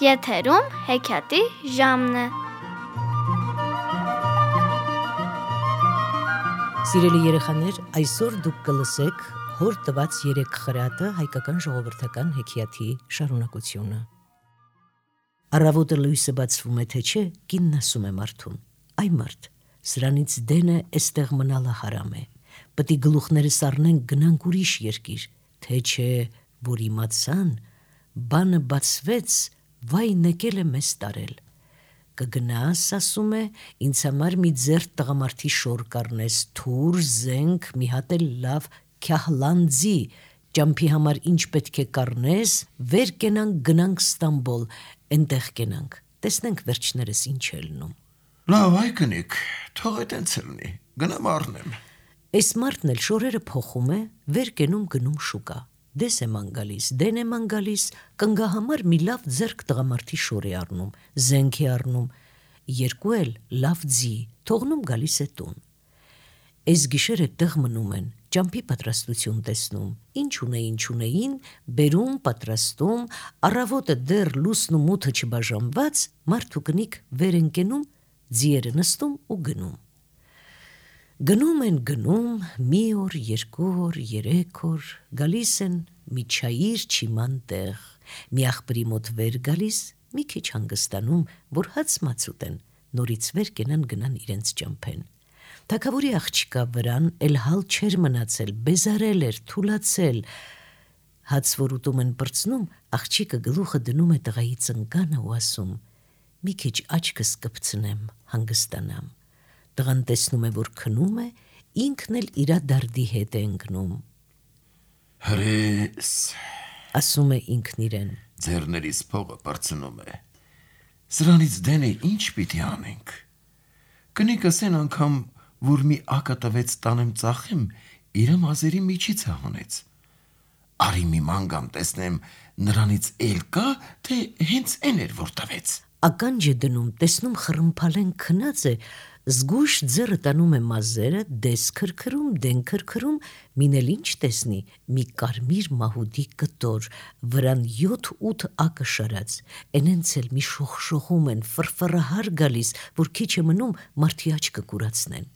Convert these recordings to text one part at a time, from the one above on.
Եթերում հեքիաթի ժամն է։ Սիրելի երեխաներ, այսօր դուք կլսեք հոր տված 3 խրատը հայկական ժողովրդական հեքիաթի շարունակությունը։ Առավոտը լույսը բացվում է, թե չէ, կինն ասում է մարդուն. «Այ մարդ, սրանից դենը էստեղ մնալը հարամ է, պտի գլուխներս առնենք գնանք ուրիշ երկիր, թե չէ, որ իմացան, բանը բացվեց, վայ նեկել է մեզ տարել։ Կգնաս, ասում է, ինձ համար մի ձեռ տղամարդի շոր կառնես, թուր, զենք, մի հատ էլ լավ քյահլանդզի, ճամփի համար ինչ պետք է կառնես, վեր կենանք գնանք Ստամբոլ, էնտեղ կենանք, տեսնենք վերջներս ինչ է լնում»։ Լավ, այ կնիկ, թող է տենց լինի, գնամ առնեմ։ Այս մարդն էլ շորերը փոխում է, վեր կենում գնում շուկա, դես է ման գալիս, դեն է ման գալիս, կնգահամար մի լավ ձեռք տղամարդի շոր է առնում, զենք է առնում, երկու էլ լավ ձի, թողնում գալիս է տուն։ Այս գիշերը տեղ մնում են, ճամփի պատրաստություն տեսնում, ինչ ունեին, բերում, պատրաստում, առավոտը դեռ լուսն ու մութը չբաժանված, մարդու կնիկ վեր են կենում, ձիերը նստում ու գնում։ Գնում են գնում, մի օր, 2 օր, 3 օր, գալիս են մի չայիր չիման տեղ, մի աղբրի մոտ վեր գալիս, մի քիչ հանգստանում, որ հաց մաց ուտեն, նորից վեր կենան գնան իրենց ճամփեն։ Թագավորի աղջիկա վրան էլ հալ չէր մնացել, բեզարել էր, թուլացել։ Հաց որ ուտում են պրծնում, աղջիկը գլուխը դնում է տղայի ծնկանը ու ասում. «Մի քիչ աչքս կպցնեմ, հանգստանամ»։ Տղան տեսնում է, որ քնում է, ինքն էլ իրա դարդի հետ է ընկնում։ Հրես, ասում է ինքն իրեն, ձեռներից փողը պրծնում է, սրանից դենը ինչ պիտի անենք։ Կնիկս են անգամ, որ մի ակա տվեց տանեմ ծախեմ, իրը մազերի միջից է հանեց։ Արի մի մանգամ տեսնեմ, նրանից էլ կա, թե հենց են էր, որ տվեց։ Ականջ է դնում, տեսնում խռմփալեն քնած է, զգույշ ձեռը տանում է մազերը, դես քրքրում, դեն քրքրում, մինել ինչ տեսնի, մի կարմիր մահուդի կտոր, վրան 7-8 ակը շարած, էնենց էլ մի շողշողում են, ֆրֆռահար գալիս, որ քիչ է մնում մարդի աչքը կուրացնեն։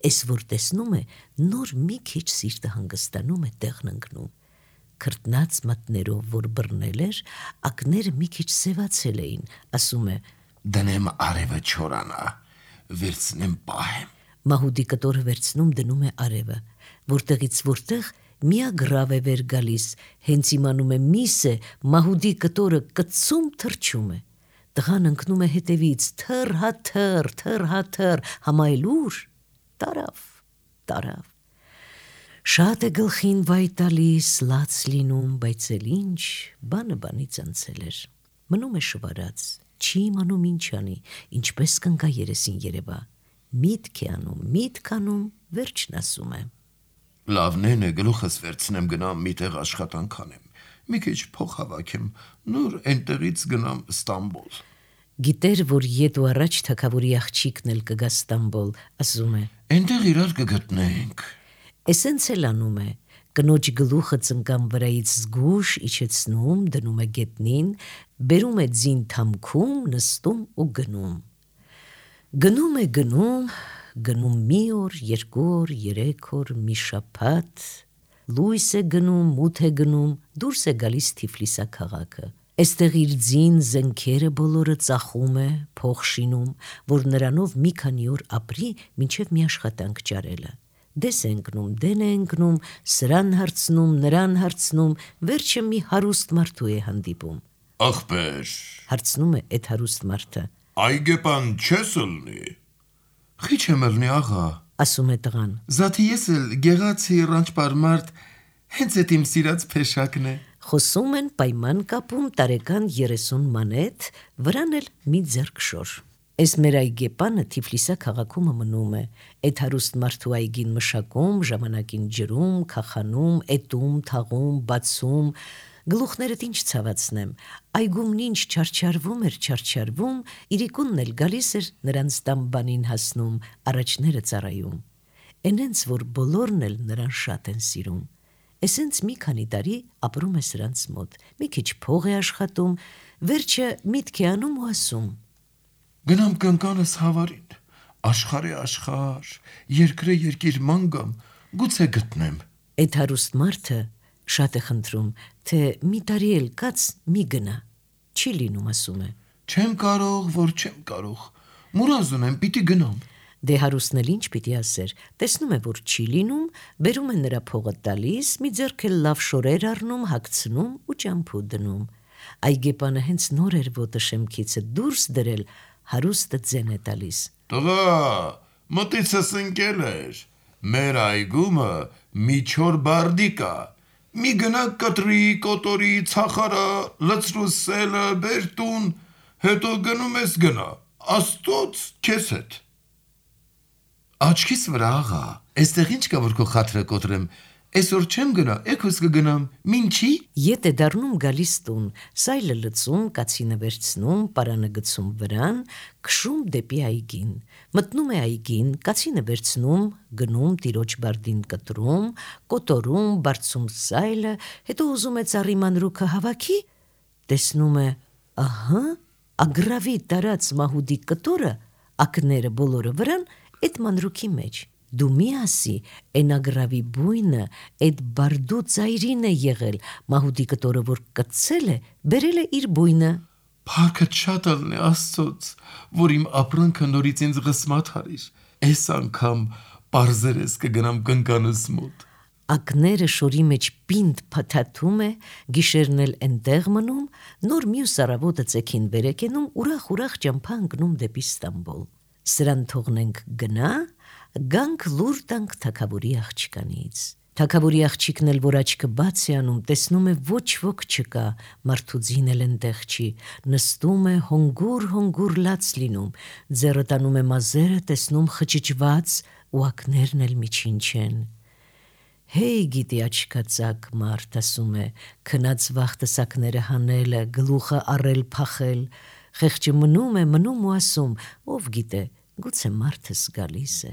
Էս որ տեսնում է, նոր մի քիչ սիրտը հանգստանում է, տեղն ընկնում։ Քրտնած մատներով, որ բռնել էր, ակները մի քիչ սևացել էին, ասում է. «Դնեմ արևը չորանա, վերցնեմ պահեմ»։ Մահուդի կտորը վերցնում դնում է արևը, որտեղից որտեղ միագրավ է վեր գալիս, հենց իմանում է միս է, մահուդի կտորը կծում թռչում է։ Տղան ընկնում է հետևից, թռ, համայլուր, տարավ։ Շատ է գլխին վայ տալիս, լաց լինում, բայց էլ ինչ, բանը բանից անցել էր։ Մնում է շվարած, չի իմանում ինչ անի, ինչպես կնկա երեսին երևա։ Միտք է անում, վերջն ասում է. Լավնեն է, գլուխս վերցնեմ գնամ մի տեղ աշխատանք անեմ, մի քիչ փող հավաքեմ, նոր այնտեղից գնամ Ստամբոլ։ Գիտեր, որ ետ ու առաջ թագավորի աղջիկն էլ կգա Ստամբոլ, ասում է. Այնտեղ իրար կգտնենք։ Էսենց էլ անում է, կնոջ գլուխը ծնկան վրայից զգուշ իջեցնում, դնում է գետնին, բերում է ձին թամքում, նստում ու գնում։ Գնում է գնում մի օր, 2 օր, 3 օր, մի շաբաթ, լույս է գնում, մութ է գնում, դուրս է գալիս Թիֆլիսա քաղաքը։ Էստեղ իր ձին զենքերը բոլորը ծախում է, փող շինում, որ նրանով մի քանի օր ապրի, մինչև մի աշխատանք ճարելը։ Դես է ընկնում, դեն է ընկնում, սրան հարցնում, նրան հարցնում, վերջը մի հարուստ մարդու է հանդիպում։ Ախպեր, հարցնում է այդ հարուստ մարդը։ Այգեպան չես ըլնի։ Խիչ եմ ըլնի, աղա, ասում է տղան։ Զաթի ես էլ գեղացի ռանչպար մարդ, հենց էդ իմ սիրած փեշակն է։ Խոսում են, պայման կապում, տարեկան 30 մանեթ, վրան էլ մի ձեռք շոր։ Այս մեր այգեպանը Թիֆլիսա քաղաքում մնում է, այդ հարուստ մարդու այգին մշակում, ժամանակին ջրում, քախանում, էտում, թաղում, բացում, գլուխներդ ինչ ցավացնեմ, այգումն ինչ չարչարվում, իրիկունն էլ գալիս էր նրանց տան բանին հասնում, առաջները ծառայում։ Էնենց որ բոլորն էլ նրան շատ են սիրում։ Էսենց մի քանի տարի ապրում է սրանց մոտ, մի քիչ փող է աշխատում, վերջը միտք է անում ու ասում. Գնամ կնկանս հավարին, աշխարհի աշխարհ, երկրե երկիր ման գամ, գուցե գտնեմ։ Այդ հարուստ մարդը շատ է խնդրում, թե մի տարի էլ կաց մի գնա, չի լինում, ասում է. Չեմ կարող, որ չեմ կարող, մուրազ ունեմ, պիտի գնամ։ Դե հարուստն էլ ինչ պիտի ասեր, տեսնում է, որ չի լինում, բերում է նրա փողը տալիս, մի ձեռք էլ լավ շորեր առնում, հագցնում ու ճամփու դնում։ Այգեպանը հենց նոր էր ոտը շեմքիցը դուրս դրել, հարուստը ձեն է տալիս. Տղա, մտիցս ընկել էր, մեր այգումը մի չոր բարդի կա, մի գնա կտրի, կոտորի, ցախարա, լցրու սելը, բերտուն, հետո գնում ես գնա, աստոց քեզ հետ։ Աչքիս վրա աղա, այստեղ ինչ կա որ քո խաթրը կոտրեմ, այսօր չեմ գնա, էքոս կգնամ, մինչի։ Ետ է դառնում գալիս տուն, սայլը լցում, կացինը վերցնում, պարանը գցում վրան, քշում դեպի այգին, մտնում է այգին, կացինը վերցնում, գնում տիրոջ բարդին կտրում, կոտորում, բարձում սայլը, հետո ուզում է ծառի մանրուքը հավաքի, տեսնում է, ահա, ագրավի տարած մահուդի կտորը, ակները բոլորը վրան, այդ մանրուքի մեջ, դու մի ասի, են ագրավի բույնը, այդ բարդու ծայրին է եղել, մահուդի կտորը, որ կծել է, բերել է իր բույնը։ Փառքդ շատ ալն է աստծոց, որ իմ ապրանքը նորից ինձ ղսմատ հարիր, այս անգամ պարզերես կգնամ կնկանս մոտ։ Ակները շորի մեջ պինդ փաթաթում է, գիշերն էլ այնտեղ մնում, նոր մյուս առավոտը ծեքին վերեկենում, ուրախ ճամփա ընկնում դեպի Ստամբուլ։ Սրան թողնենք գնա, գանք լուր տանք թագավորի աղջկանից։ Թագավորի աղջիկն էլ որ աչքը բաց է անում, տեսնում է ոչ ոք չկա, մարդուձին էլ այնտեղ չի, նստում է հոնգուր լաց լինում, ձեռը տանում է մազերը, տեսնում խճճված ու ակներն էլ միջին չեն։ Հեյ գիտի աչքածակ մարդ, ասում է, քնած վախտս ակները հանելը, գլուխը առել փախել, խեղճը մնում ու ասում, ով գիտե, գուցե մարդս գալիս է։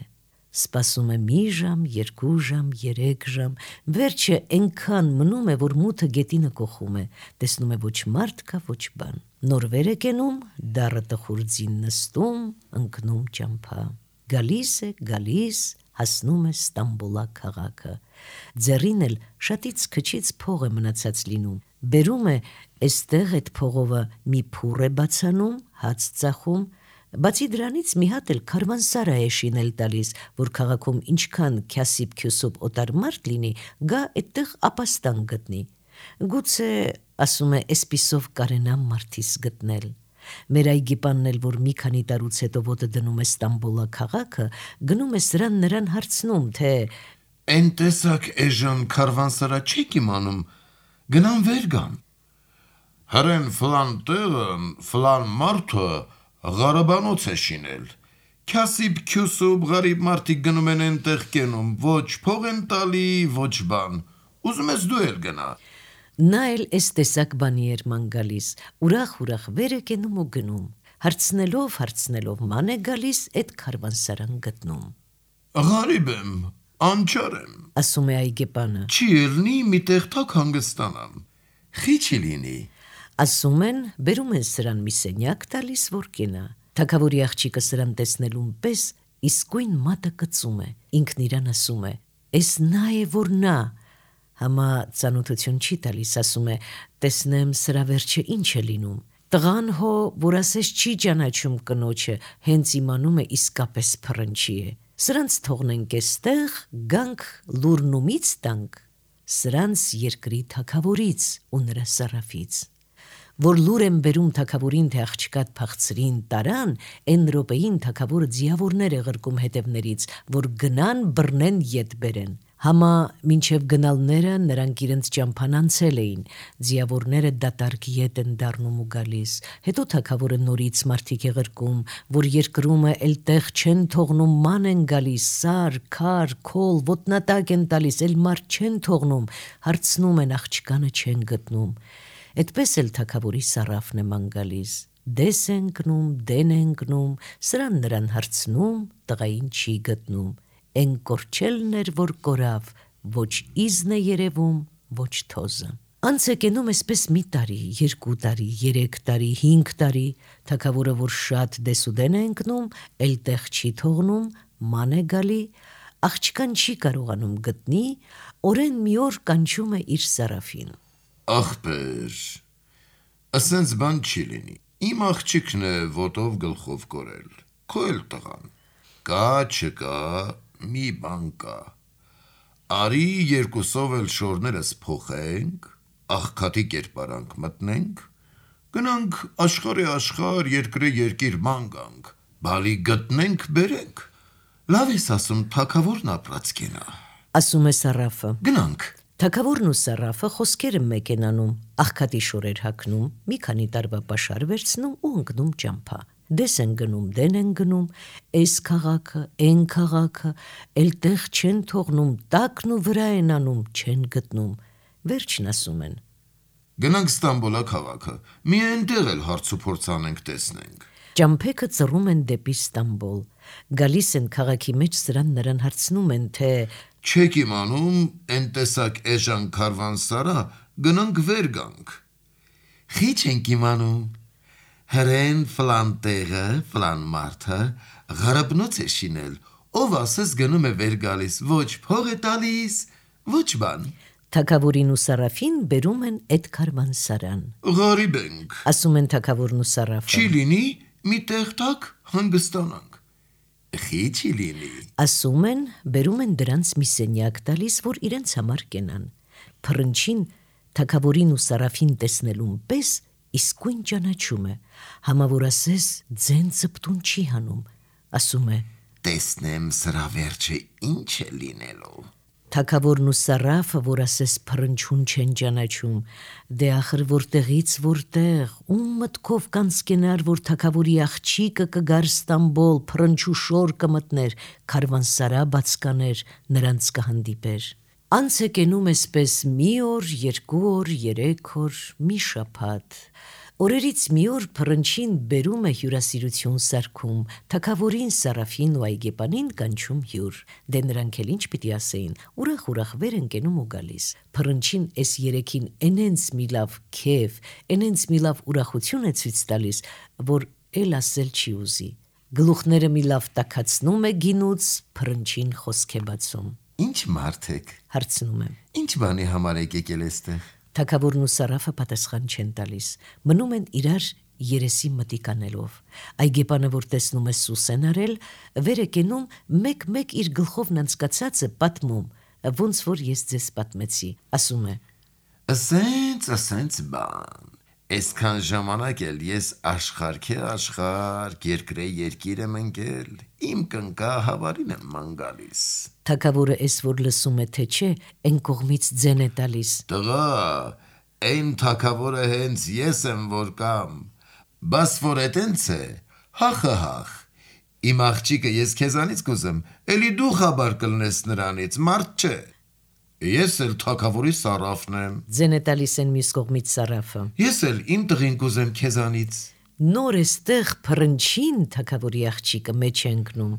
Սպասում է մի ժամ, 2 ժամ, 3 ժամ, վերջը այնքան մնում է, որ մութը գետինը կոխում է, տեսնում է ոչ մարդ կա, ոչ բան։ Նոր վեր է կենում, դառը տխուր ձին նստում, ընկնում ճամփա։ Գալիս, հասնում է Ստամբուլա քաղաքը։ Ձեռին էլ շատից քչից փող է մնացած լինում։ Բերում է այստեղ այդ փողովը մի փուռ է բացանում, հաց ծախում, բացի դրանից մի հատ էլ քարվանսարա է շինել տալիս, որ քաղաքում ինչքան քյասիբ քյուսուբ օտար մարդ լինի, գա այդտեղ ապաստան գտնի։ Գուցե, ասում է, էսպիսով կարենամ մարդիս գտնել։ Մեր այգիպանն էլ, որ մի քանի տարուց հետո ոտը դնում է Ստամբուլա քաղաքը, գնում է սրան նրան հարցնում, թե Էն տեսակ էժան քարվանսարա չեք իմանում, գնամ վեր գամ։ Հրեն ֆլան տեղն, ֆլան մարդը Ղարաբանոց է շինել։ Քյասիբ քյուսուբ գարիբ մարդիկ գնում են այնտեղ կենում, ոչ փող են տալի, ոչ բան։ Ուզում ես դու էլ գնա։ Նա էլ էս տեսակ բանի էր ման գալիս, ուրախ վեր է կենում ու գնում, հարցնելով ման է գալիս, այդ քարվանսարան գտնում։ Գարիբ եմ, անչար եմ, ասում է այգեպանը։ Չի ելնի մի տեղ թակ հանգստանամ, խի չի լինի։ Ասում են, բերում են սրան մի սենյակ տալիս, որ կենա։ Թագավորի աղջիկը սրան տեսնելուն պես իսկույն մատը կծում է, ինքն իրան ասում է, «Էս նա է, որ նա», համա ծանոթություն չի տալիս, ասում է, տեսնեմ սրա վերջը ինչ է լինում։ Տղան հո, որ ասես չի ճանաչում կնոջը, հենց իմանում է իսկապես փռնչի է։ Սրանց թողնենք էստեղ, գանք լուրնումից տանք, սրանց երկրի թագավորից ու նրա սարաֆից։ Որ լուր են բերում թագավորին, թե աղջկատ փախցրին տարան, այն րոպեին թագավորը ձիավորներ է ղրկում հետևներից, որ գնան բռնեն ետ բերեն։ Համա մինչև գնալները նրանք իրենց ճամփան անցել էին, ձիավորները դատարկ ետ են դառնում ու գալիս, հետո թագավորը նորից մարդիկ է ղրկում, որ երկրումը էլ տեղ չեն թողնում, ման են գալիս, սար, քար, քոլ, ոտնատակ են տալիս, էլ մարդ չեն թողնում, հարցնում են աղջկանը չեն գտնում։ Այդպես էլ թագավորի սարաֆն է ման գալիս, դես է ընկնում, դեն է ընկնում, նրան հարցնում, տղային չի գտնում, են կորչելն էր, որ կորավ, ոչ իզն է երևում, ոչ թոզը։ Անց է կենում այսպես մի տարի, 2 տարի, 3 տարի, 5 տարի, թագավորը որ շատ դեսուդեն է ընկնում, էլ տեղ չի թողնում, ման է գալի, աղջկան չի կարողանում գտնի, օրեն մի օր կանչում է իր Սարաֆին։ Ախպեր, ասենց բան չի լինի, իմ աղջիկն է ոտով գլխով կորել, քո էլ տղան, կա չկա, մի բան կա, արի երկուսով էլ շորներս փոխենք, աղքատի կերպարանք մտնենք, գնանք աշխարհի աշխարհ, երկրի երկիր ման գանք, բալի գտնենք բերենք, լավ ես ասում թագավորն ապրած կենա, ասում է Սարաֆը։ գնանք, Թագավորն ու Սարաֆը խոսքերը մեկ են անում, աղքատի շորեր հագնում, մի քանի տարվա պաշար վերցնում ու ընկնում ճամփա։ Դես են գնում, դեն են գնում, այս քաղաքը, այն քաղաքը, էլ տեղ չեն թողնում, տակն ու վրա են անում, չեն գտնում։ Վերջն ասում են. գնանք Ստամբոլա քաղաքը, մի այնտեղ էլ հարց ու փորձ անենք տեսնենք, Ճամփեքը ծռում են դեպի Ստամբոլ։ Գալիս են քաղաքի մեջ սրան նրան հարցնում են, թե չեք իմանում են տեսակ էժան քարվանսարա, գնանք վեր գանք, խի չենք իմանում, հրեն ֆլան տեղը, ֆլան մարդը, ғարաբնոց է շինել, ով ասես գնում է վեր գալիս, ոչ փող է տալիս, ոչ բան, թագավորին ու Սարաֆին բերում են այդ քարվանսարան։ Ղարիբ ենք, Ասում են թագավորն ու Սարաֆը։ չի լինի մի տեղ տակ հանգստանանք, խի չի լինի, Ասում են, բերում են դրանց մի սենյակ տալիս, որ իրենց համար կենան։ Փռնչին թագավորին ու Սարաֆին տեսնելուն պես իսկույն ճանաչում է, համա որ ասես ձեն ծպտուն չի հանում, ասում է. տեսնեմ սրա վերջը ինչ է լինելու, Թագավորն ու Սարաֆը, որ ասես փռնչուն չեն ճանաչում, դե ախր որտեղից որտեղ, ում մտքով կանցկենար, որ թագավորի աղջիկը կգար Ստամբոլ, փռնչու շոր կմտներ, քարվանսարա բաց կաներ, նրանց կհանդիպեր։ Անց է կենում այսպես մի օր, 2 օր, 3 օր, մի շաբաթ։ Օրերից մի օր փռնչին բերում է հյուրասիրություն սարքում, թագավորին, Սարաֆին ու Այգեպանին կանչում հյուր։ Դե նրանք էլ ինչ պիտի ասեին, ուրախ վեր են կենում ու գալիս։ Փռնչին այս երեքին էնենց մի լավ քեֆ, էնենց մի լավ ուրախություն է ցույց տալիս, որ էլ ասել չի ուզի։ Գլուխները մի լավ տաքացնում է գինուց, փռնչին խոսք է բացում։ ինչ մարդ եք, Հարցնում է. ինչ բանի համար եք եկել էստեղ, Թագավորն ու Սարաֆը պատասխան չեն տալիս, մնում են իրար երեսի մտիկ անելով։ Այգեպանը, որ տեսնում է սուս են արել, վեր է կենում մեկ իր գլխովն անցկացածը պատմում, ոնց որ ես ձեզ պատմեցի, ասում է. ասենց բան, այսքան ժամանակ էլ ես աշխարհ, երկրե երկիր եմ ընկել, իմ կնկա հավարին եմ ման գալիս, Թագավորը էս որ լսում է թե չէ, այն կողմից ձեն է տալիս, տղա, այն թագավորը հենց ես եմ որ կամ, բաս որ էտենց է, հախ, իմ աղջիկը ես քեզանից կուզեմ, էլի դու խաբար կլնես նրանից, մարդ չէ, ես էլ թագավորի Սարաֆն եմ, ձեն է տալիս են մյուս կողմից Սարաֆը։ ես էլ իմ տղին կուզեմ քեզանից, Նոր էստեղ փռնչին թագավորի աղջիկը մեջ է ընկնում,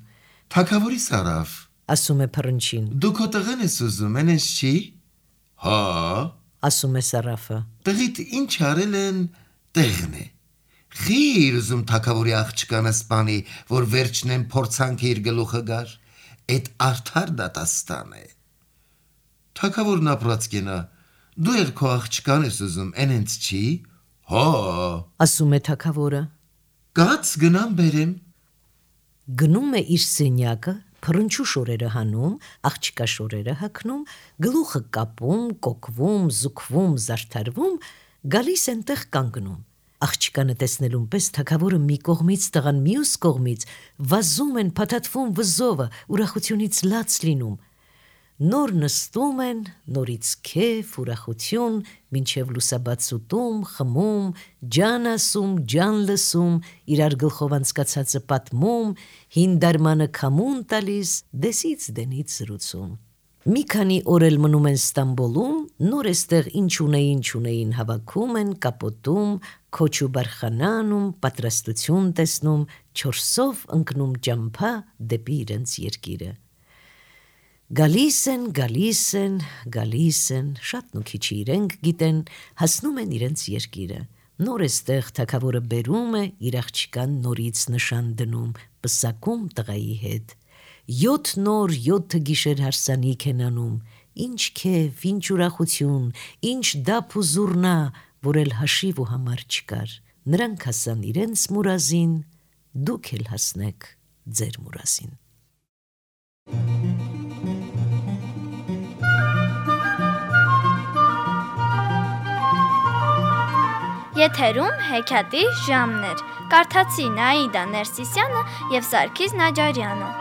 թագավորի Սարաֆ, ասում է փռնչին, դու քո տղեն ես ուզում, ենես չի, հա, ասում է Սարաֆը, տղիդ ինչ արել են տեղն է, խիր ուզում թագավորի աղջկանը սպանի, որ վերջնեն փորձանք իր գլուխը գար, էդ արդար դատաստան է, թագավորն ապրած կենա, դու էլ քո աղջկան ես ուզում, ենենց չի, հա, ասում է թագավորը, կաց գնամ բերեմ, գնում է իր սենյակը, փռնչու շորերը հանում, աղջկա շորերը հագնում, գլուխը կապում, կոկվում, զուգվում, զարդարվում, գալիս ենտեղ կանգնում։ Աղջկանը տեսնելուն պես թագավորը մի կողմից, տղան մյուս կողմից, վազում են, փաթաթվում վզովը, ուրախությունից լաց լինում։ Նոր նստում են, նորից քեֆ, ուրախություն, մինչև լուսաբաց ուտում, խմում, ջան ասում, ջան լսում, իրար գլխով անցկացածը պատմում, հին դարմանը քամուն տալիս, դեսից դենից զրուցում։ Մի քանի օր էլ մնում են Ստամբոլում, նոր էստեղ ինչ ունեին հավաքում են, կապոտում, քոչ ու բարխանանում, պատրաստություն տեսնում, 4-ով ընկնում ճամփա դեպի իրենց երկիրը։ Գալիս են, շատ ու քիչ իրենք գիտեն, հասնում են իրենց երկիրը։ Նոր էստեղ թագավորը բերում է իր աղջկան նորից նշան դնում, պսակում տղայի հետ։ 7 նոր 7 գիշեր հարսանիք են անում, ինչ քեֆ, ինչ ուրախություն, ինչ դափ ու զուռնա, որ էլ հաշիվ ու համար չկար։ Նրանք հասան իրենց մուրազին, դուք էլ հասնեք ձեր մուրազին։ Եթերում հեքիաթի ժամն էր։ Կարդացի Նաիդա Ներսիսյանը և Սարգիս Նաջարյանը։